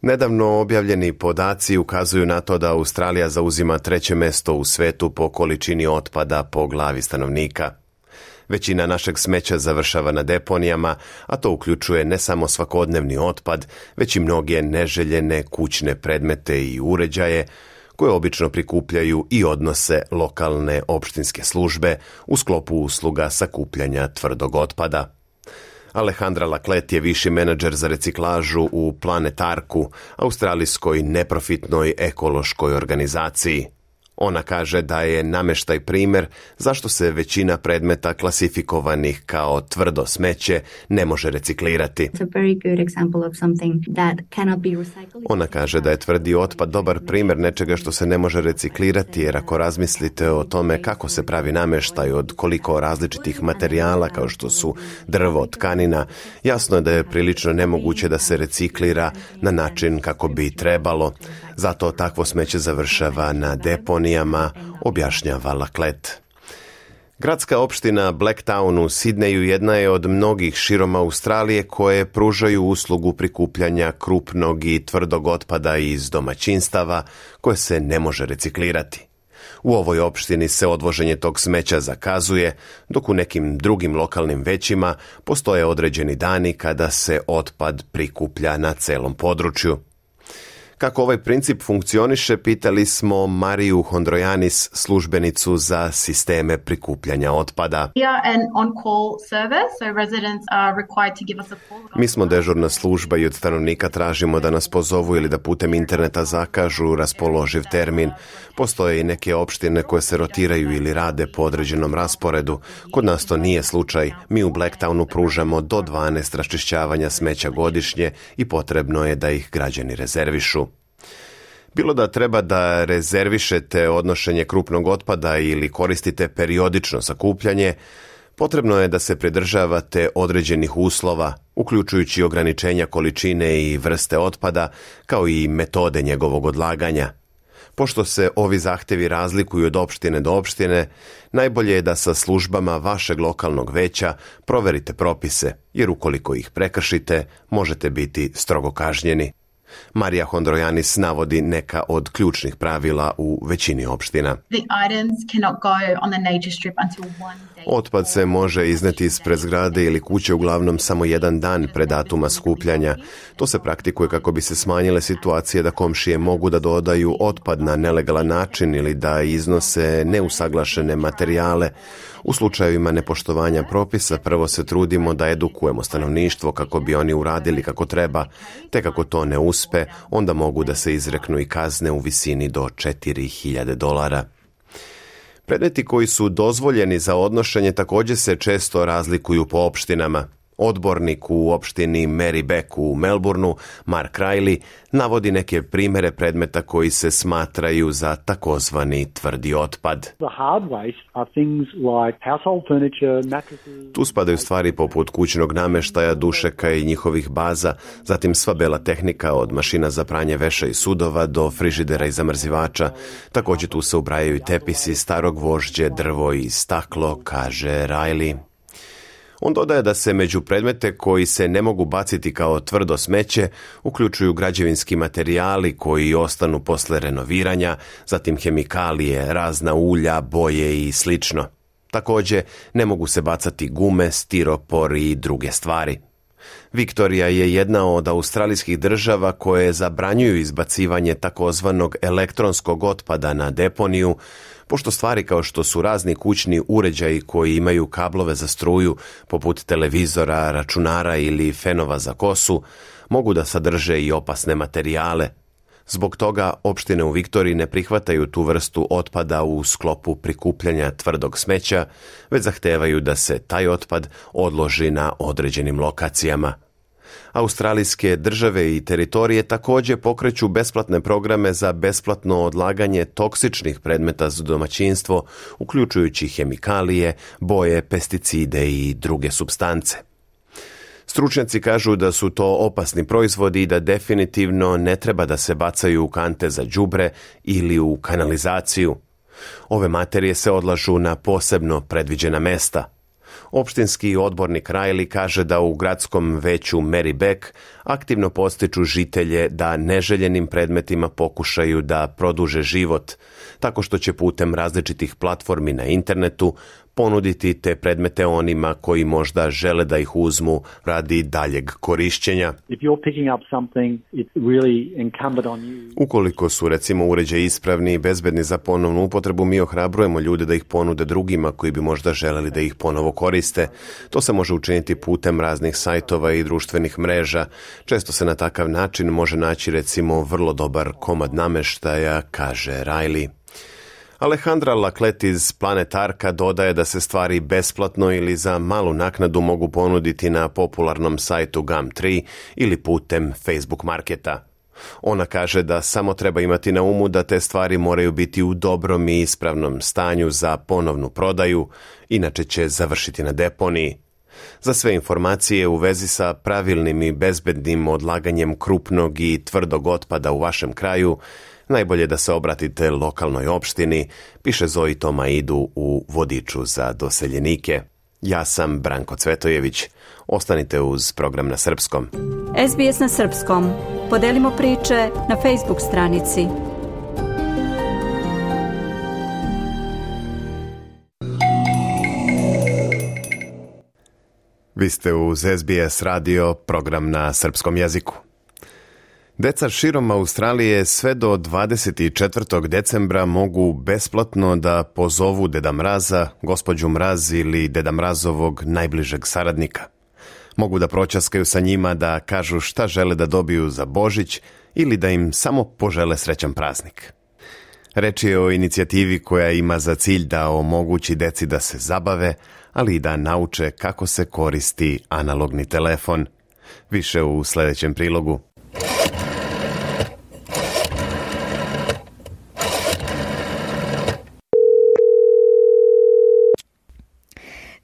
Nedavno objavljeni podaci ukazuju na to da Australija zauzima treće mesto u svetu po količini otpada po glavi stanovnika. Većina našeg smeća završava na deponijama, a to uključuje ne samo svakodnevni otpad, već i mnoge neželjene kućne predmete i uređaje, koje obično prikupljaju i odnose lokalne opštinske službe u sklopu usluga sakupljanja tvrdog otpada. Alejandra Laclette je viši menadžer za reciklažu u Planet Arku, australijskoj neprofitnoj ekološkoj organizaciji. Ona kaže da je nameštaj primjer zašto se većina predmeta klasifikovanih kao tvrdo smeće ne može reciklirati. Ona kaže da je tvrdi otpad dobar primjer nečega što se ne može reciklirati, jer ako razmislite o tome kako se pravi nameštaj od koliko različitih materijala kao što su drvo, tkanina, jasno je da je prilično nemoguće da se reciklira na način kako bi trebalo. Zato takvo smeće završava na deponijama, objašnjava Laclette. Gradska opština Blacktown u Sidneju jedna je od mnogih širom Australije koje pružaju uslugu prikupljanja krupnog i tvrdog otpada iz domaćinstava koje se ne može reciklirati. U ovoj opštini se odvoženje tog smeća zakazuje, dok u nekim drugim lokalnim većima postoje određeni dani kada se otpad prikuplja na celom području. Kako ovaj princip funkcioniše, pitali smo Mariju Hondrojanis, službenicu za sisteme prikupljanja otpada. Mi smo dežurna služba i od stanovnika tražimo da nas pozovu ili da putem interneta zakažu raspoloživ termin. Postoje i neke opštine koje se rotiraju ili rade po određenom rasporedu. Kod nas to nije slučaj. Mi u Blacktownu pružamo do dvanaest raščišćavanja smeća godišnje i potrebno je da ih građani rezervišu. Bilo da treba da rezervišete odnošenje krupnog otpada ili koristite periodično sakupljanje, Potrebno je da se pridržavate određenih uslova, uključujući ograničenja količine i vrste otpada, kao i metode njegovog odlaganja. Pošto se ovi zahtevi razlikuju od opštine do opštine, najbolje je da sa službama vašeg lokalnog veća proverite propise, jer ukoliko ih prekršite, možete biti strogo kažnjeni. Marija Hondrojanis navodi neka od ključnih pravila u većini opština. Otpad se može izneti ispred zgrade ili kuće uglavnom samo jedan dan pre datuma skupljanja. To se praktikuje kako bi se smanjile situacije da komšije mogu da dodaju otpad na nelegalan način ili da iznose neusaglašene materijale. U slučajevima nepoštovanja propisa prvo se trudimo da edukujemo stanovništvo kako bi oni uradili kako treba, te kako to ne uspe, onda mogu da se izreknu i kazne u visini do četiri hiljade dolara. Predmeti koji su dozvoljeni za odnošenje također se često razlikuju po opštinama. Odbornik u opštini Marybeck u Melbourneu, Mark Riley, navodi neke primere predmeta koji se smatraju za takozvani tvrdi otpad. Tu spadaju stvari poput kućnog nameštaja, dušeka i njihovih baza, zatim sva bela tehnika od mašina za pranje veša i sudova do frižidera i zamrzivača. Također tu se ubrajaju i tepisi, staro gvožđe, drvo i staklo, kaže Riley. On dodaje da se među predmete koji se ne mogu baciti kao tvrdo smeće uključuju građevinski materijali koji ostanu posle renoviranja, zatim hemikalije, razna ulja, boje i slično. Također ne mogu se bacati gume, stiropor i druge stvari. Viktorija je jedna od australijskih država koje zabranjuju izbacivanje takozvanog elektronskog otpada na deponiju, pošto stvari kao što su razni kućni uređaji koji imaju kablove za struju, poput televizora, računara ili fenova za kosu, mogu da sadrže i opasne materijale. Zbog toga opštine u Viktoriji ne prihvataju tu vrstu otpada u sklopu prikupljanja tvrdog smeća, već zahtevaju da se taj otpad odloži na određenim lokacijama. Australijske države i teritorije također pokreću besplatne programe za besplatno odlaganje toksičnih predmeta za domaćinstvo, uključujući hemikalije, boje, pesticide i druge supstance. Stručnjaci kažu da su to opasni proizvodi i da definitivno ne treba da se bacaju u kante za đubre ili u kanalizaciju. Ove materije se odlažu na posebno predviđena mesta. Opštinski odbornik Riley kaže da u gradskom veću Marybeck aktivno podstiču žitelje da neželjenim predmetima pokušaju da produže život, tako što će putem različitih platformi na internetu ponuditi te predmete onima koji možda žele da ih uzmu radi daljeg korišćenja. Ukoliko su recimo uređaji ispravni i bezbedni za ponovnu upotrebu, mi ohrabrujemo ljude da ih ponude drugima koji bi možda želeli da ih ponovo koriste. To se može učiniti putem raznih sajtova i društvenih mreža. Često se na takav način može naći recimo vrlo dobar komad nameštaja, kaže Riley. Alejandra Laclet iz Planet Arka dodaje da se stvari besplatno ili za malu naknadu mogu ponuditi na popularnom sajtu Gumtree ili putem Facebook marketa. Ona kaže da samo treba imati na umu da te stvari moraju biti u dobrom i ispravnom stanju za ponovnu prodaju, inače će završiti na deponiji. Za sve informacije u vezi sa pravilnim i bezbednim odlaganjem krupnog i tvrdog otpada u vašem kraju, najbolje da se obratite lokalnoj opštini, piše Zoji Tomaidu u vodiču za doseljenike. Ja sam Branko Cvetojević. Ostanite uz program na srpskom. S B S na srpskom. Podelimo priče na Facebook stranici. Vi ste uz S B S radio, program na srpskom jeziku. Deca širom Australije sve do dvadeset četvrtog decembra mogu besplatno da pozovu Deda Mraza, gospođu Mraz ili Deda Mrazovog najbližeg saradnika. Mogu da proćaskaju sa njima, da kažu šta žele da dobiju za Božić ili da im samo požele srećan praznik. Reč je o inicijativi koja ima za cilj da omogući deci da se zabave, ali i da nauče kako se koristi analogni telefon. Više u sljedećem prilogu.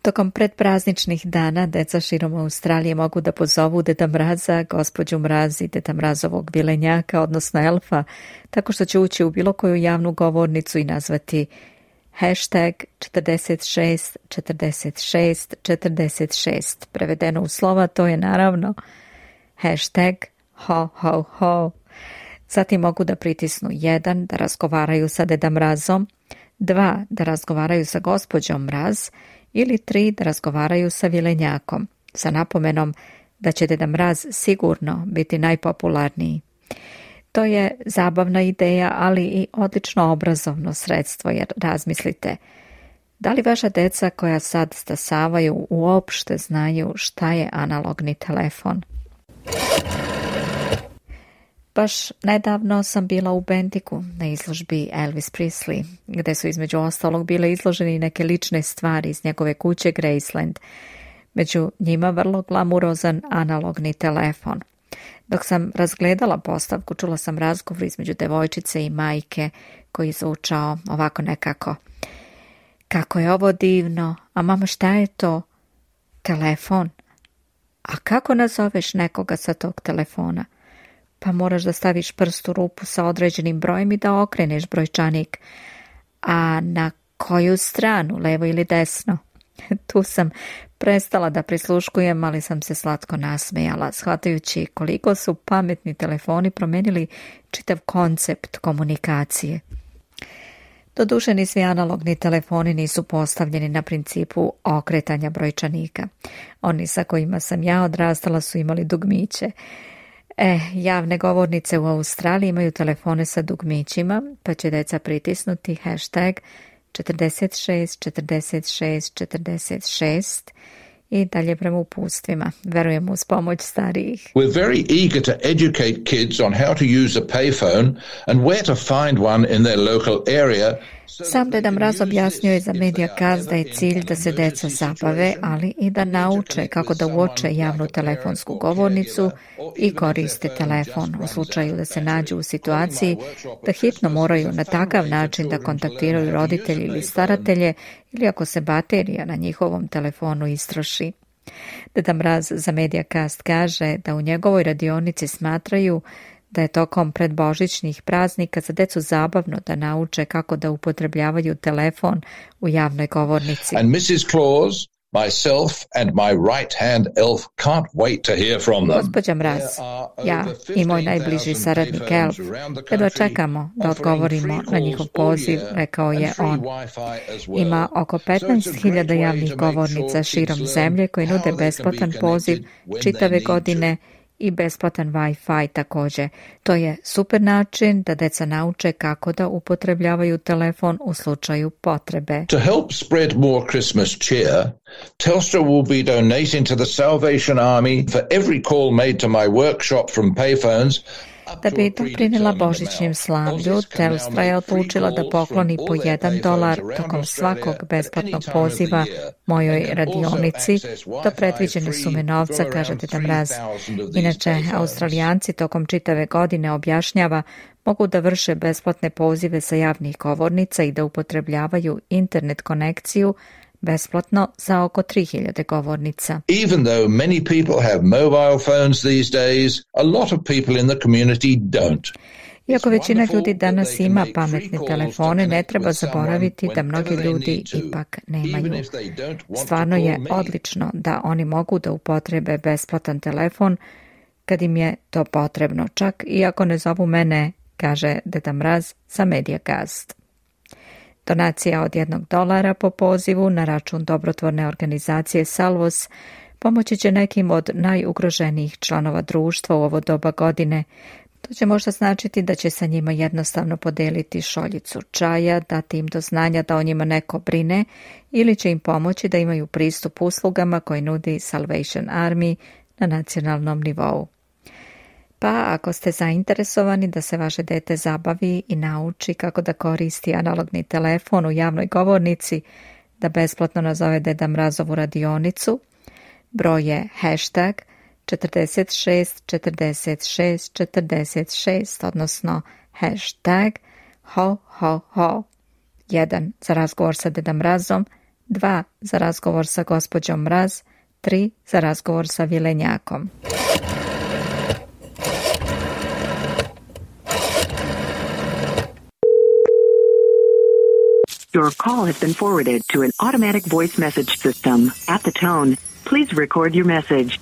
Tokom predprazničnih dana deca širom Australije mogu da pozovu Deda Mraza, gospođu Mraz i Deda Mrazovog vilenjaka, odnosno elfa, tako što će ući u bilo koju javnu govornicu i nazvati hashtag četrdeset šest četrdeset šest četrdeset šest. Prevedeno u slova to je naravno hashtag ho ho ho. Zatim mogu da pritisnu jedan da razgovaraju sa Deda Mrazom, dva da razgovaraju sa gospođom Mraz ili tri da razgovaraju sa vilenjakom, sa napomenom da će Deda Mraz sigurno biti najpopularniji. To je zabavna ideja, ali i odlično obrazovno sredstvo, jer razmislite, da li vaša deca koja sad stasavaju uopšte znaju šta je analogni telefon? Baš nedavno sam bila u Bendiku na izložbi Elvis Presley, gde su između ostalog bile izloženi neke lične stvari iz njegove kuće Graceland, među njima vrlo glamurozan analogni telefon. Dok sam razgledala postavku, čula sam razgovor između devojčice i majke koji je zvučao ovako nekako. Kako je ovo divno, a mama šta je to? Telefon. A kako nazoveš nekoga sa tog telefona? Pa moraš da staviš prst u rupu sa određenim brojem i da okreneš brojčanik. A na koju stranu, levo ili desno? Tu sam prestala da prisluškujem, ali sam se slatko nasmejala, shvatajući koliko su pametni telefoni promenili čitav koncept komunikacije. Doduše, ni svi analogni telefoni nisu postavljeni na principu okretanja brojčanika. Oni sa kojima sam ja odrastala su imali dugmiće. E, javne govornice u Australiji imaju telefone sa dugmićima, pa će deca pritisnuti hashtag četrdeset šest četrdeset šest četrdeset šest i dalje prema upustvima. Verujem uz pomoć starijih. We're very eager to educate kids on how to use a payphone and where to find one in their local area. Sam Deda Mraz objasnio je za Mediacast da je cilj da se deca zabave, ali i da nauče kako da uoče javnu telefonsku govornicu i koriste telefon u slučaju da se nađu u situaciji da hitno moraju na takav način da kontaktiraju roditelji ili staratelje ili ako se baterija na njihovom telefonu istroši. Deda Mraz za Mediacast kaže da u njegovoj radionici smatraju da je tokom predbožićnih praznika za decu zabavno da nauče kako da upotrebljavaju telefon u javnoj govornici. And missus Claus, myself and my right-hand elf can't wait to hear from them. Gospođa Mraz, ja i moj najbliži saradnik elf, jedva čekamo da odgovorimo na njihov poziv, rekao je on. Ima oko petnaest hiljada javnih govornica širom zemlje koji nude besplatan poziv čitave godine i besplatan Wi-Fi također. To je super način da deca nauče kako da upotrebljavaju telefon u slučaju potrebe. To help spread more Christmas cheer, Telstra will be donating to the Salvation Army for every call made to my workshop from payphones. Da bi doprinela božićnim slavlju, Telstra je odlučila da pokloni po jedan dolar tokom svakog besplatnog poziva mojoj radionici do predviđene sume novca, kaže Deda Mraz. Inače, Australijanci tokom čitave godine, objašnjava, mogu da vrše besplatne pozive sa javnih govornica i da upotrebljavaju internet konekciju besplatno za oko tri hiljade govornica. Even though many people have mobile phones these days, a lot of people in the community don't. Iako većina ljudi danas ima pametne telefone, ne treba zaboraviti da mnogi ljudi ipak nemaju. Stvarno je odlično da oni mogu da upotrebe besplatan telefon kad im je to potrebno, čak i ako ne zovu mene, kaže Deda Mraz za Mediacast. Donacija od jednog dolara po pozivu na račun dobrotvorne organizacije Salvos pomoći će nekim od najugroženijih članova društva u ovo doba godine. To će možda značiti da će sa njima jednostavno podeliti šoljicu čaja, dati im do znanja da o njima neko brine ili će im pomoći da imaju pristup uslugama koje nudi Salvation Army na nacionalnom nivou. Pa ako ste zainteresovani da se vaše dete zabavi i nauči kako da koristi analogni telefon u javnoj govornici, da besplatno nazove Deda Mrazovu radionicu, broj je hashtag četrdeset šest četrdeset šest četrdeset šest, odnosno hashtag ho ho ho. Jedan za razgovor sa Deda Mrazom, dva za razgovor sa gospođom Mraz, tri za razgovor sa Vilenjakom. Your call has been forwarded to an automatic voice message system. At the tone, please record your message.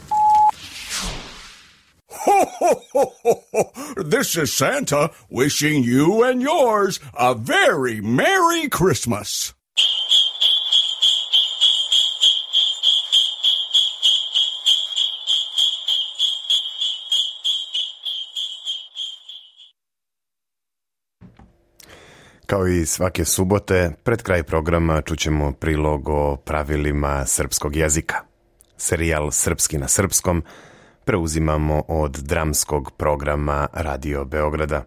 Ho, ho, ho, ho, ho. This is Santa wishing you and yours a very Merry Christmas. Kao i svake subote, pred kraj programa čućemo prilog o pravilima srpskog jezika. Serijal Srpski na srpskom preuzimamo od dramskog programa Radio Beograda.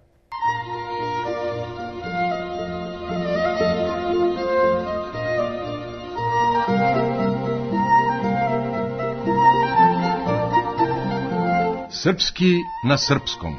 Srpski na srpskom.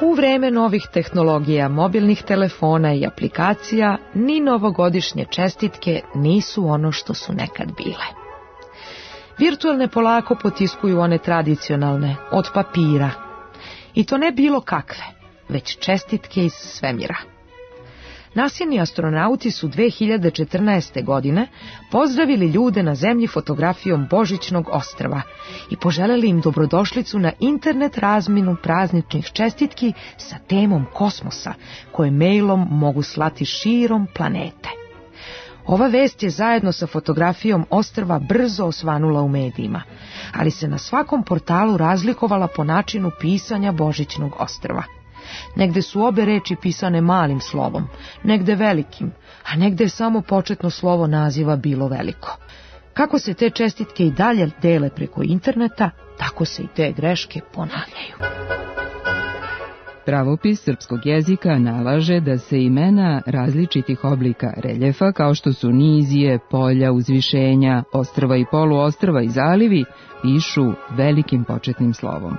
U vreme novih tehnologija, mobilnih telefona i aplikacija, ni novogodišnje čestitke nisu ono što su nekad bile. Virtualne polako potiskuju one tradicionalne, od papira. I to ne bilo kakve, već čestitke iz svemira. Nasjeni astronauti su dve hiljade četrnaeste. godine pozdravili ljude na zemlji fotografijom Božićnog ostrva i poželjeli im dobrodošlicu na internet razmjenu prazničnih čestitki sa temom kosmosa, koje mailom mogu slati širom planete. Ova vest je zajedno sa fotografijom ostrva brzo osvanula u medijima, ali se na svakom portalu razlikovala po načinu pisanja Božićnog ostrva. Negde su obe reči pisane malim slovom, negde velikim, a negde je samo početno slovo naziva bilo veliko. Kako se te čestitke i dalje dele preko interneta, tako se i te greške ponavljaju. Pravopis srpskog jezika nalaže da se imena različitih oblika reljefa, kao što su nizije, polja, uzvišenja, ostrva i poluostrva i zalivi, pišu velikim početnim slovom.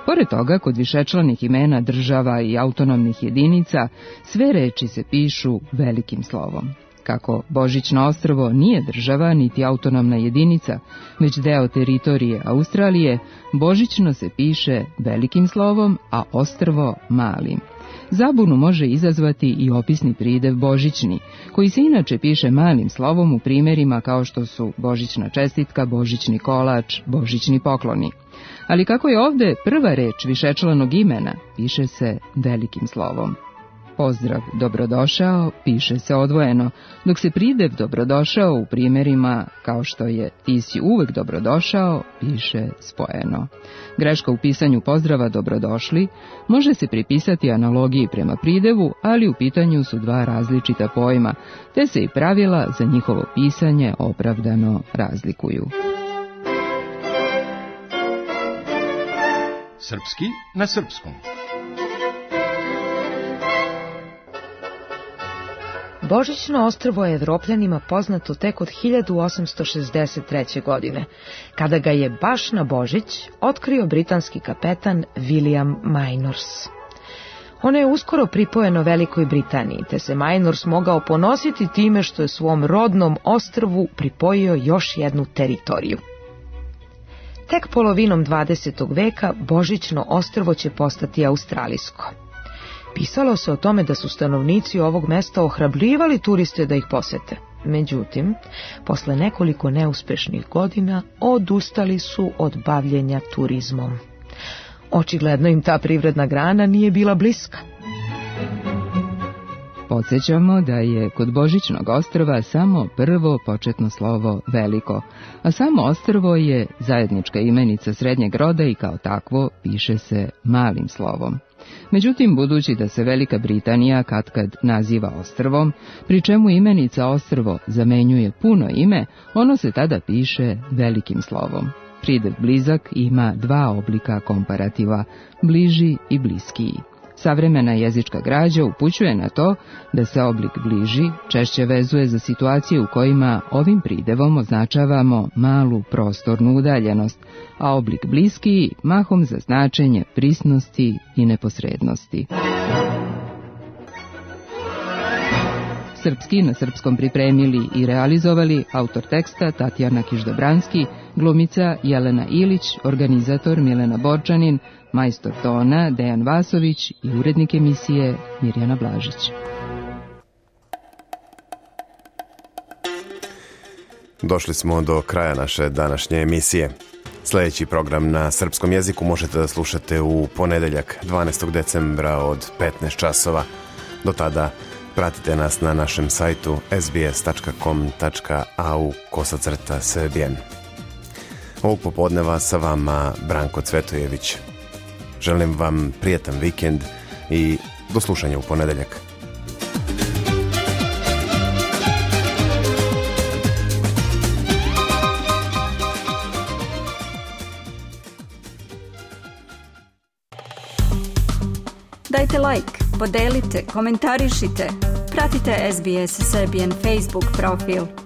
Pored toga, kod višečlanih imena država i autonomnih jedinica, sve reči se pišu velikim slovom. Kako Božićno ostrvo nije država niti autonomna jedinica, već deo teritorije Australije, Božićno se piše velikim slovom, a ostrvo malim. Zabunu može izazvati i opisni pridev Božićni, koji se inače piše malim slovom u primjerima kao što su Božićna čestitka, Božićni kolač, Božićni pokloni. Ali kako je ovde prva reč višečlanog imena, piše se velikim slovom. Pozdrav dobrodošao piše se odvojeno, dok se pridev dobrodošao u primjerima kao što je ti si uvek dobrodošao piše spojeno. Greška u pisanju pozdrava dobrodošli može se pripisati analogiji prema pridevu, ali u pitanju su dva različita pojma, te se i pravila za njihovo pisanje opravdano razlikuju. Srpski na srpskom. Božićno ostrvo je Evropljanima poznato tek od hiljadu osamsto šezdeset treće. godine, kada ga je baš na Božić otkrio britanski kapetan William Minors. Ono je uskoro pripojeno Velikoj Britaniji, te se Minors mogao ponositi time što je svom rodnom ostrvu pripojio još jednu teritoriju. Tek polovinom dvadesetog veka Božićno ostrvo će postati australijsko. Pisalo se o tome da su stanovnici ovog mesta ohrabrivali turiste da ih posete. Međutim, posle nekoliko neuspešnih godina odustali su od bavljenja turizmom. Očigledno im ta privredna grana nije bila bliska. Podsjećamo da je kod Božićnog ostrva samo prvo početno slovo veliko, a samo ostrvo je zajednička imenica srednjeg roda i kao takvo piše se malim slovom. Međutim, budući da se Velika Britanija katkad naziva ostrvom, pri čemu imenica ostrvo zamenjuje puno ime, ono se tada piše velikim slovom. Pridev blizak ima dva oblika komparativa, bliži i bliskiji. Savremena jezička građa upućuje na to da se oblik bliži češće vezuje za situacije u kojima ovim pridevom označavamo malu prostornu udaljenost, a oblik bliskiji mahom za značenje prisnosti i neposrednosti. Srpski na srpskom pripremili i realizovali autor teksta Tatjana Kiždobranski, glumica Jelena Ilić, organizator Milena Borčanin, majstor tona Dejan Vasović i urednik emisije Mirjana Blažić. Došli smo do kraja naše današnje emisije. Sljedeći program na srpskom jeziku možete da slušate u ponedeljak dvanaestog decembra od petnaest časova. Do tada pratite nas na našem sajtu es bi es tačka com tačka a u kosacrta srbijen. Ovog popodneva sa vama Branko Cvetojević. Želim vam prijetan vikend i do slušanja u ponedeljak. Dajte like, podelite, komentarišite. Pratite es bi es Serbian Facebook profil.